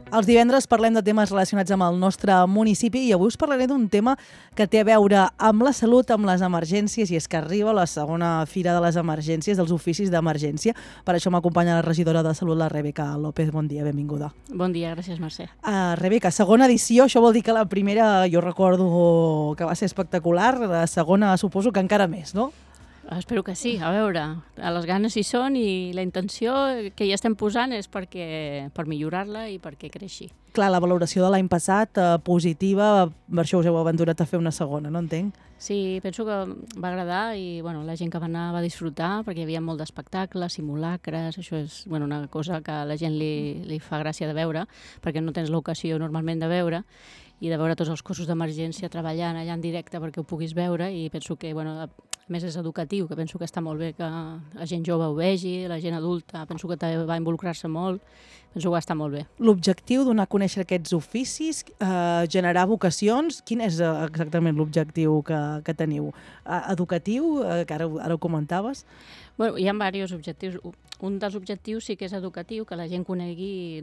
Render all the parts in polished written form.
Els divendres parlem de temes relacionats amb el nostre municipi i avui us parlaré d'un tema que té a veure amb la salut, amb les emergències, i és que arriba la segona fira de les emergències, dels oficis d'emergència. Per això m'acompanya la regidora de Salut, la Rebeca López. Bon dia, benvinguda. Bon dia, gràcies, Mercè. Rebeca, segona edició, això vol dir que la primera jo recordo que va ser espectacular, la segona suposo que encara més, no? Espero que sí. A veure, les ganes hi són i la intenció que hi estem posant és per millorar-la i perquè creixi. Clar, la valoració de l'any passat, positiva, per això us heu aventurat a fer una segona, no entenc? Sí, penso que va agradar i la gent que va anar va disfrutar perquè hi havia molt d'espectacles, simulacres, això és una cosa que a la gent li fa gràcia de veure perquè no tens l'ocasió normalment de veure i de veure tots els cossos d'emergència treballant allà en directe perquè ho puguis veure i penso que, a més és educatiu, que penso que està molt bé que la gent jove ho vegi, la gent adulta, penso que també va involucrar-se molt, penso que va estar molt bé. L'objectiu donar a conèixer aquests oficis, generar vocacions, quin és exactament l'objectiu que teniu? Educatiu, que ara ho comentaves? Hi ha diversos objectius. Un dels objectius sí que és educatiu, que la gent conegui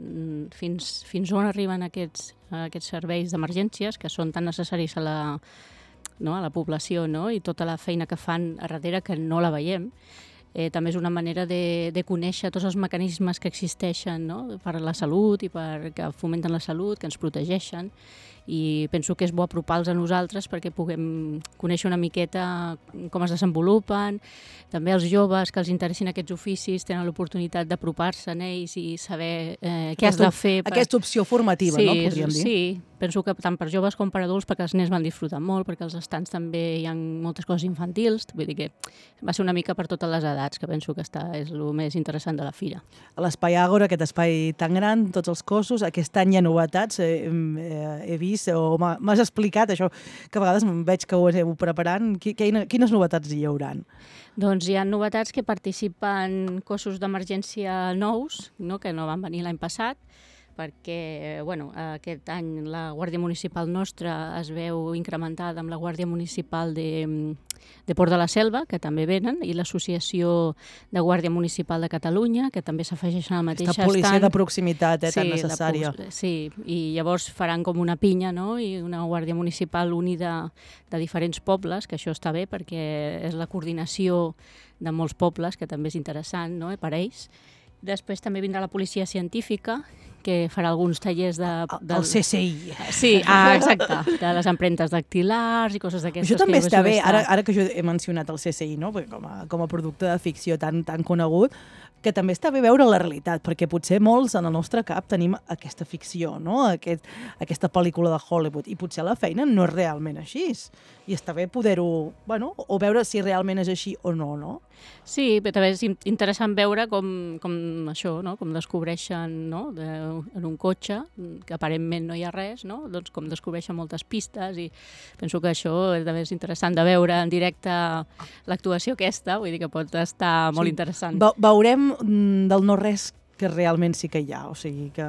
fins on arriben aquests serveis d'emergències, que són tan necessaris a la població, no? I tota la feina que fan a darrere que no la veiem. També és una manera de conèixer tots els mecanismes que existeixen, no? Per a la salut i que fomenten la salut, que ens protegeixen, i penso que és bo apropar-los a nosaltres perquè puguem conèixer una miqueta com es desenvolupen. També els joves que els interessin aquests oficis tenen l'oportunitat d'apropar-se en ells i saber què has de fer. Aquesta opció formativa, no? Podríem dir. Sí, penso que tant per joves com per adults, perquè els nens van disfrutar molt, perquè als estands també hi ha moltes coses infantils, vull dir que va ser una mica per totes les edats, que penso que és el més interessant de la fira. A l'Espai Àgora, aquest espai tan gran, tots els cossos, aquest any hi ha novetats, he vist, o m'has explicat això, que a vegades veig que ho aneu preparant. Quines novetats hi hauran? Doncs hi ha novetats que participen cossos d'emergència nous, que no van venir l'any passat, perquè aquest any la Guàrdia Municipal nostra es veu incrementada amb la Guàrdia Municipal de Port de la Selva, que també venen, i l'Associació de Guàrdia Municipal de Catalunya, que també s'afegeixen al mateix estant. Aquesta policia de proximitat tan necessària. Sí, i llavors faran com una pinya, no? I una Guàrdia Municipal unida de diferents pobles, que això està bé perquè és la coordinació de molts pobles, que també és interessant, no? Per ells. Després també vindrà la policia científica, que farà alguns tallers El CSI. Sí, exacte, de les empremtes dactilars i coses d'aquestes. Això també està bé, ara que jo he mencionat el CSI, no? Com a producte de ficció tan conegut, que també està bé veure la realitat, perquè potser molts en el nostre cap tenim aquesta ficció, no? Aquesta pel·lícula de Hollywood, i potser la feina no és realment així. I està bé poder-ho, o veure si realment és així o no, no? Sí, però també és interessant veure com això, no? Com descobreixen, no? En un cotxe, que aparentment no hi ha res, no? Doncs com descobreixen moltes pistes, i penso que això també és interessant de veure en directe l'actuació aquesta, vull dir que pot estar molt interessant. Veurem del no-res que realment sí que hi ha, o sigui que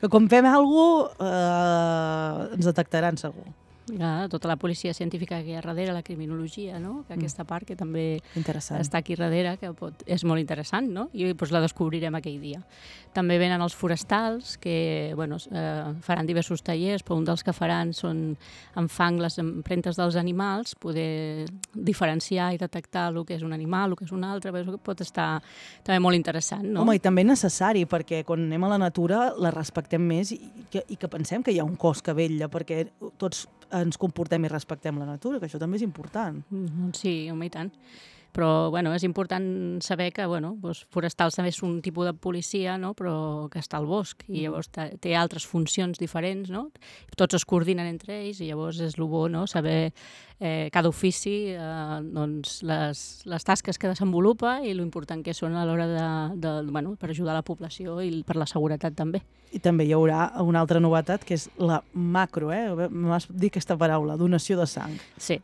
quan fem alguna cosa ens detectaran segur. Tota la policia científica que hi ha darrere, la criminologia, no? Que aquesta part que també està aquí darrere, que és molt interessant, no? I la descobrirem aquell dia. També venen els forestals, que faran diversos tallers, però un dels que faran són amb fang les empremtes dels animals, poder diferenciar i detectar el que és un animal, el que és un altre, pot estar també molt interessant, no? Home, i també necessari, perquè quan anem a la natura la respectem més i que pensem que hi ha un cos que vetlla, perquè tots ens comportem i respectem la natura, que això també és important. Sí, home, i tant. Però és important saber que forestals també és un tipus de policia, no? Però que està al bosc i llavors té altres funcions diferents, no? Tots es coordinen entre ells i llavors és el bo, no? Saber cada ofici les tasques que desenvolupa i l'important que són a l'hora per ajudar la població i per la seguretat també. I també hi haurà una altra novetat que és la macro, m'has dit aquesta paraula, donació de sang. Sí.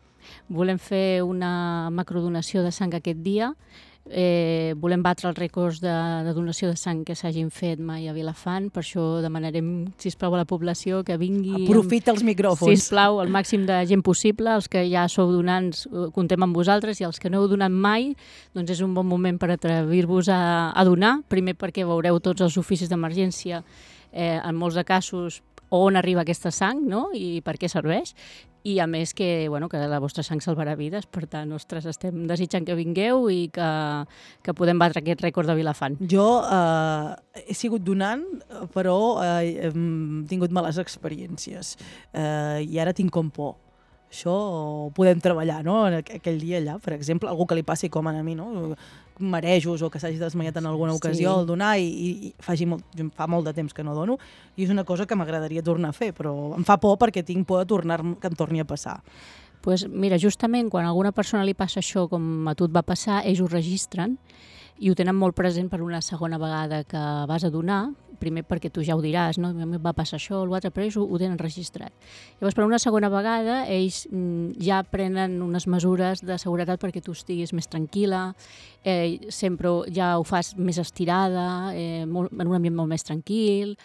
Volem fer una macrodonació de sang aquest dia. Volem batre els rècords de donació de sang que s'hagin fet mai a Vilafant, per això demanarem, sisplau, a la població que vingui... Aprofita els micròfons. Sisplau, el màxim de gent possible. Els que ja sou donants, comptem amb vosaltres, i els que no heu donat mai, doncs és un bon moment per atrevir-vos a donar. Primer perquè veureu tots els oficis d'emergència en molts de casos on arriba aquesta sang, no? I per què serveix. I a més que la vostra sang salvarà vides, per tant, ostres, estem desitjant que vingueu i que podem batre aquest rècord de Vilafant. Jo he sigut donant, però he tingut males experiències i ara tinc com por. Això ho podem treballar, no? Aquell dia allà, per exemple, algú que li passi com a mi, no? Marejos o que s'hagi desmaiat en alguna ocasió al donar i fa molt de temps que no dono i és una cosa que m'agradaria tornar a fer, però em fa por perquè tinc por de que em torni a passar. Pues mira, justament quan a alguna persona li passa això com a tu et va passar, ells ho registren i ho tenen molt present per una segona vegada que vas a donar, primer perquè tu ja ho diràs, no? A mi va passar això o l'altre, però ells ho tenen registrat. Llavors, per una segona vegada, ells ja prenen unes mesures de seguretat perquè tu estiguis més tranquil·la, sempre ja ho fas més estirada, en un ambient molt més tranquil,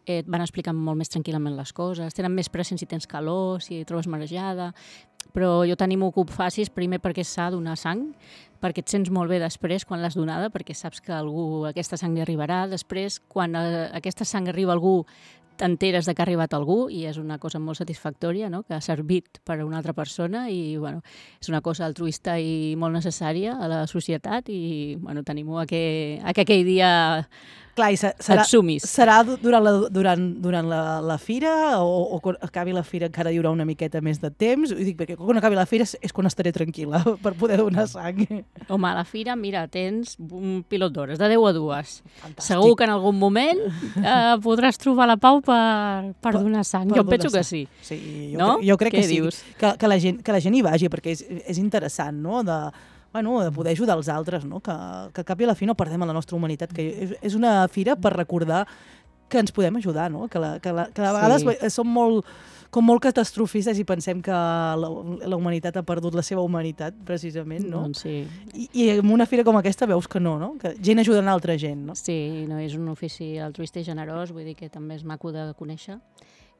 et van explicant molt més tranquil·lament les coses, tenen més present si tens calor, si et trobes marejada, però jo t'animo que ho facis primer perquè s'ha de donar sang, perquè et sents molt bé després quan l'has donada, perquè saps que aquesta sang li arribarà. Després, quan aquesta sang arriba a algú, t'enteres que ha arribat a algú i és una cosa molt satisfactòria, no? Que ha servit per a una altra persona i és una cosa altruista i molt necessària a la societat i t'animo a que aquell dia Clar, i et sumis. Serà durant la fira o quan acabi la fira encara hi haurà una miqueta més de temps? Ho dic perquè quan acabi la fira és quan estaré tranquil·la per poder donar sang. Home, a la fira, mira, tens un pilot d'hores, de 10 a 2. Fantàstic. Segur que en algun moment podràs trobar la pau per donar sang. Jo penso que sí. Sí, no? Jo crec Què que sí. dius? Que la gent hi vagi, perquè és interessant, no?, de poder ajudar els altres, no? Que al cap i a la fi no perdem la nostra humanitat, que és una fira per recordar que ens podem ajudar, no? Que de vegades som molt catastrofistes i pensem que la humanitat ha perdut la seva humanitat, precisament, no? Doncs sí. I en una fira com aquesta veus que no? Que gent ajudant altra gent, no? Sí, no, és un ofici altruista i generós, vull dir que també és maco de conèixer.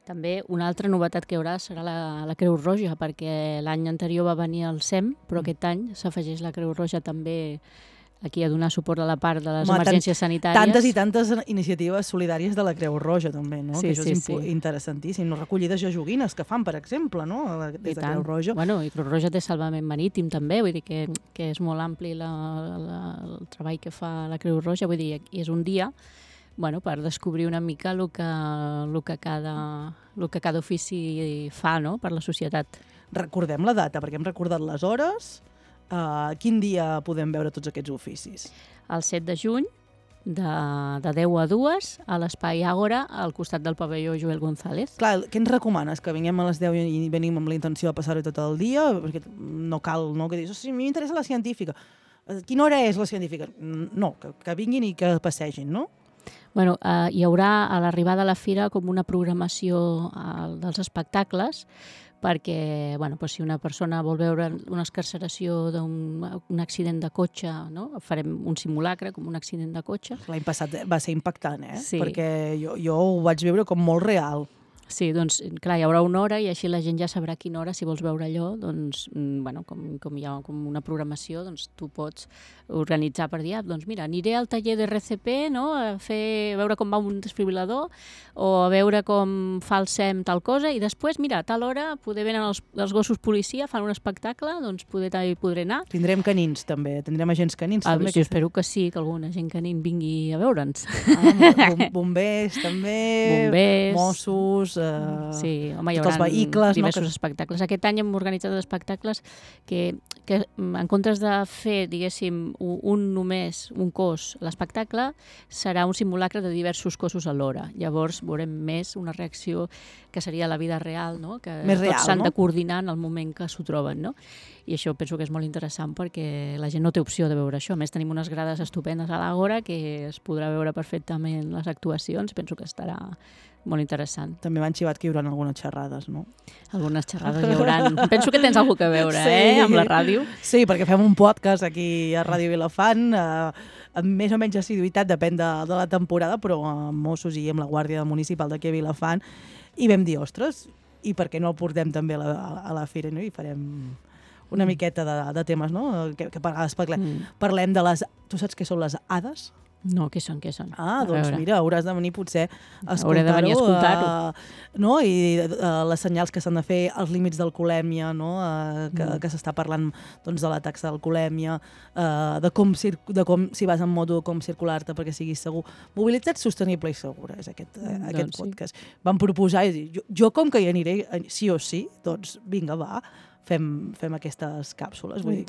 També una altra novetat que hi haurà serà la Creu Roja, perquè l'any anterior va venir el SEM, però aquest any s'afegeix la Creu Roja també aquí a donar suport a la part de les emergències sanitàries. Tantes i tantes iniciatives solidàries de la Creu Roja, també, no? Sí, que això és interessantíssim. No? Recollides de joguines que fan, per exemple, no? Des de Creu Roja. I Creu Roja té salvament marítim, també, vull dir que és molt ampli el treball que fa la Creu Roja, vull dir, és un dia per descobrir una mica el que cada ofici fa, no?, per la societat. Recordem la data, perquè hem recordat les hores. Quin dia podem veure tots aquests oficis? El 7 de juny, de 10 a 2, a l'Espai Àgora, al costat del pavelló Joel González. Clar, què ens recomanes? Que vinguem a les 10 i venim amb la intenció de passar-ho tot el dia? Perquè no cal, no?, que dius, sí, a mi m'interessa la científica. Quina hora és la científica? No, que vinguin i que passegin, no? Hi haurà a l'arribada a la fira com una programació dels espectacles perquè si una persona vol veure una excarceració d'un accident de cotxe, no? Farem un simulacre com un accident de cotxe. L'any passat va ser impactant, Sí. Perquè jo ho vaig veure com molt real. Sí, doncs, clar, hi haurà una hora i així la gent ja sabrà a quina hora, si vols veure allò, doncs, com hi ha com una programació, doncs tu pots organitzar per dir, doncs mira, aniré al taller de RCP, no?, a veure com va un desfibrilador o a veure com fa el SEM tal cosa i després, mira, a tal hora poder venen els gossos policia, fan un espectacle, doncs també podré anar. Tindrem canins, també. Tindrem agents canins, també. Jo espero que sí, que algun agent canin vingui a veure'ns. Bombers, també. Bombers. Mossos. Sí, home, hi tots els haurà vehicles, diversos espectacles. Aquest any hem organitzat espectacles que en comptes de fer, diguéssim, un cos, l'espectacle serà un simulacre de diversos cossos alhora. Llavors veurem més una reacció que seria la vida real, no? Que més real, tots s'han no? de coordinar en el moment que s'ho troben, no? I això penso que és molt interessant perquè la gent no té opció de veure això. A més, tenim unes grades estupendes a l'Àgora que es podrà veure perfectament les actuacions. Penso que estarà molt interessant. També m'han xivat que hi haurà algunes xerrades, no? Algunes xerrades hi haurà. Penso que tens alguna a veure, amb la ràdio. Sí, perquè fem un podcast aquí a Ràdio Vilafant, amb més o menys assiduïtat, depèn de la temporada, però amb Mossos i amb la Guàrdia Municipal d'aquí a Vilafant, i vam dir, ostres, i per què no el portem també a la fira, no? I farem una miqueta de temes, no? Que a vegades parlem de les... Tu saps què són les hades? No, què són? Ah, doncs mira, hauràs de venir potser a Hauré de venir a escoltar-ho. No? I les senyals que s'han de fer, els límits d'alcoholèmia, no? Que s'està parlant doncs, de la taxa d'alcoholèmia, de com si vas en moto, com circular-te perquè siguis segur. Mobilitat sostenible i segura és aquest podcast. Vam proposar i dir, jo com que hi aniré sí o sí, doncs vinga, va, fem aquestes càpsules. Vull dir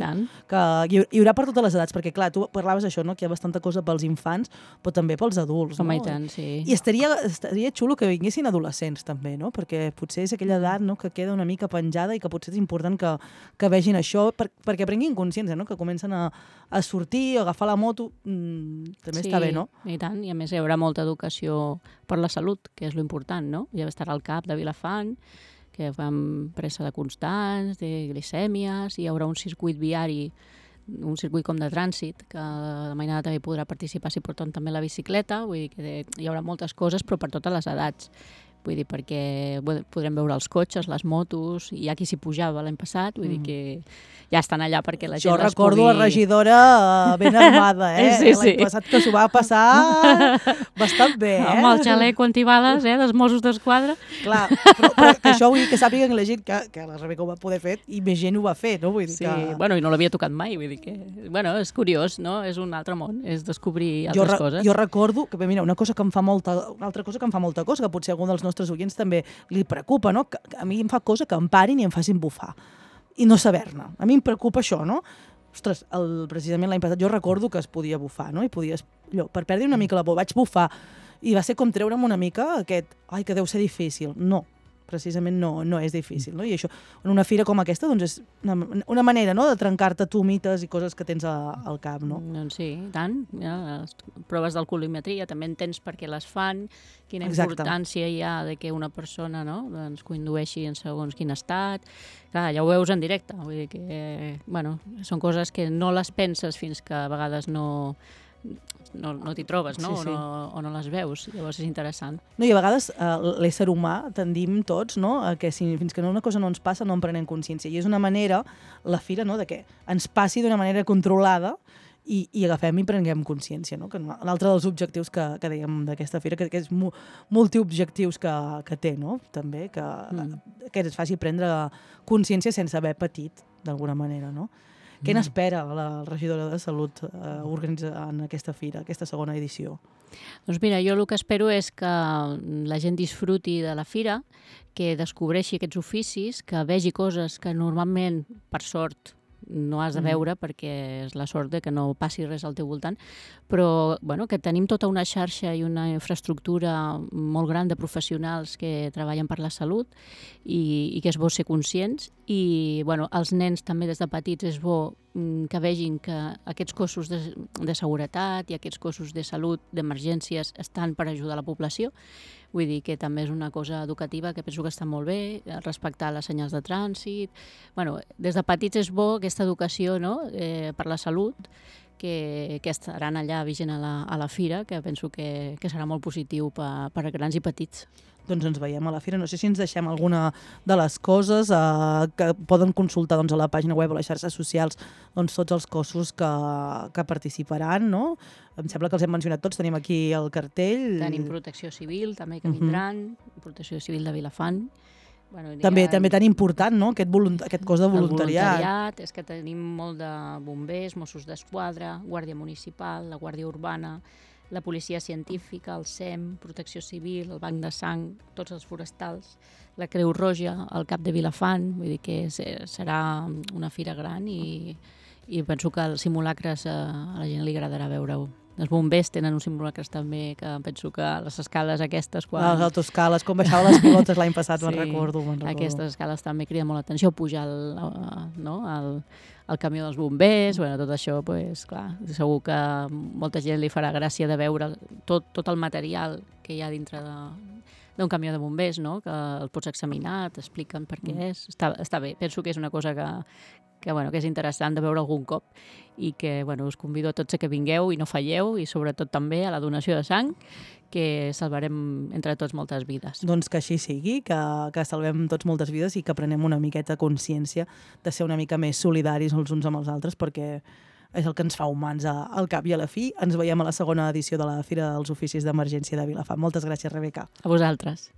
que hi haurà per totes les edats, perquè clar, tu parlaves això, no? Que hi ha bastanta cosa pels infants, però també pels adults. Home, no? I tant, sí. I estaria xulo que vinguessin adolescents també, no? Perquè potser és aquella edat, no? Que queda una mica penjada i que potser és important que vegin això perquè prenguin consciència, no? Que comencen a sortir, a agafar la moto, també està bé, no? I tant, i a més hi haurà molta educació per la salut, que és lo important, no? Ja estarà al CAP de Vilafant, que fan pressa de constants, de glicèmies, i hi haurà un circuit viari, un circuit com de trànsit, que la mainada també podrà participar si porten també la bicicleta, vull dir que hi haurà moltes coses, però per totes les edats. Vull dir, perquè podrem veure els cotxes, les motos, i hi ha qui s'hi pujava l'any passat, vull dir que ja estan allà perquè la gent les pugui... Jo recordo la regidora ben armada, Sí. L'any passat que s'ho va passar bastant bé, Amb el xalec antibales, dels Mossos d'Esquadra. Clar, però que això vull dir que sàpiguen la gent que la Rebeca ho va poder fer i més gent ho va fer, no? Vull dir que... Bueno, i no l'havia tocat mai, vull dir que... Bueno, és curiós, no? És un altre món, és descobrir altres coses. Jo recordo que, mira, una altra cosa que em fa molta cosa, que potser algun dels nostres oients també li preocupa, no? Que a mi em fa cosa que em parin i em facin bufar i no saber-ne. A mi em preocupa això, no? Ostres, precisament l'any passat jo recordo que es podia bufar, no? I podies, per perdre una mica la por, vaig bufar i va ser com treure'm una mica aquest, ai, que deu ser difícil. No, precisament no és difícil, no? I això, en una fira com aquesta, doncs és una manera, no?, de trencar-te tu mites i coses que tens al cap, no? Doncs sí, tant. Ja, les proves d'alcoholimetria també entens per què les fan, quina importància hi ha de que una persona, no?, doncs condueixi en segons quin estat. Clar, ja ho veus en directe, vull dir que, bueno, són coses que no les penses fins que a vegades no t'hi trobes, no? Sí. O no les veus, llavors és interessant. No, i a vegades l'ésser humà tendim tots, no?, a que fins que una cosa no ens passa no en prenem consciència. I és una manera, la fira, no?, de que ens passi d'una manera controlada i agafem i prenguem consciència, no? Que l'altre dels objectius que dèiem d'aquesta fira, que és multiobjectius que té, no?, també, que ens faci prendre consciència sense haver patit, d'alguna manera, no? Què n'espera la regidora de Salut organitzant aquesta fira, aquesta segona edició? Doncs mira, jo el que espero és que la gent disfruti de la fira, que descobreixi aquests oficis, que vegi coses que normalment, per sort, no has de veure perquè és la sort de que no passi res al teu voltant, però bueno, que tenim tota una xarxa i una infraestructura molt gran de professionals que treballen per la salut i que és bo ser conscients i bueno, els nens també des de petits és bo que vegin que aquests cossos de seguretat i aquests cossos de salut, d'emergències, estan per ajudar la població. Vull dir que també és una cosa educativa que penso que està molt bé, respectar les senyals de trànsit. Bueno, des de petits és bo aquesta educació, no?, per la salut, que estaran allà vigent a la fira, que penso que serà molt positiu per a grans i petits. Doncs ens veiem a la fira. No sé si ens deixem alguna de les coses que poden consultar doncs, a la pàgina web o a les xarxes socials doncs, tots els cossos que participaran, no? Em sembla que els hem mencionat tots. Tenim aquí el cartell. Tenim Protecció Civil, també, que vindran. Protecció Civil de Vilafant. Bueno, també tan important, no?, aquest cos de voluntariat. El voluntariat, és que tenim molt de bombers, Mossos d'Esquadra, Guàrdia Municipal, la Guàrdia Urbana, la Policia Científica, el SEM, Protecció Civil, el Banc de Sang, tots els forestals, la Creu Roja, el Cap de Vilafant, vull dir que serà una fira gran i penso que els simulacres a la gent li agradarà veure-ho. Els bombers tenen uns simulacres també, que penso que les escales aquestes... Les autoescales, com baixava les pilotes l'any passat, me'n recordo. Aquestes escales també criden molt l'atenció, pujar el camió dels bombers, bueno, tot això, pues, clar, segur que molta gent li farà gràcia de veure tot el material que hi ha dintre d'un camió de bombers, no?, que el pots examinar, t'expliquen per què és. Està bé, penso que és una cosa que és interessant de veure algun cop i que us convido a tots a que vingueu i no falleu i sobretot també a la donació de sang, que salvarem entre tots moltes vides. Doncs que així sigui, que salvem tots moltes vides i que prenem una miqueta consciència de ser una mica més solidaris els uns amb els altres, perquè és el que ens fa humans al cap i a la fi. Ens veiem a la segona edició de la Fira dels Oficis d'Emergència de Vilafant. Moltes gràcies, Rebeca. A vosaltres.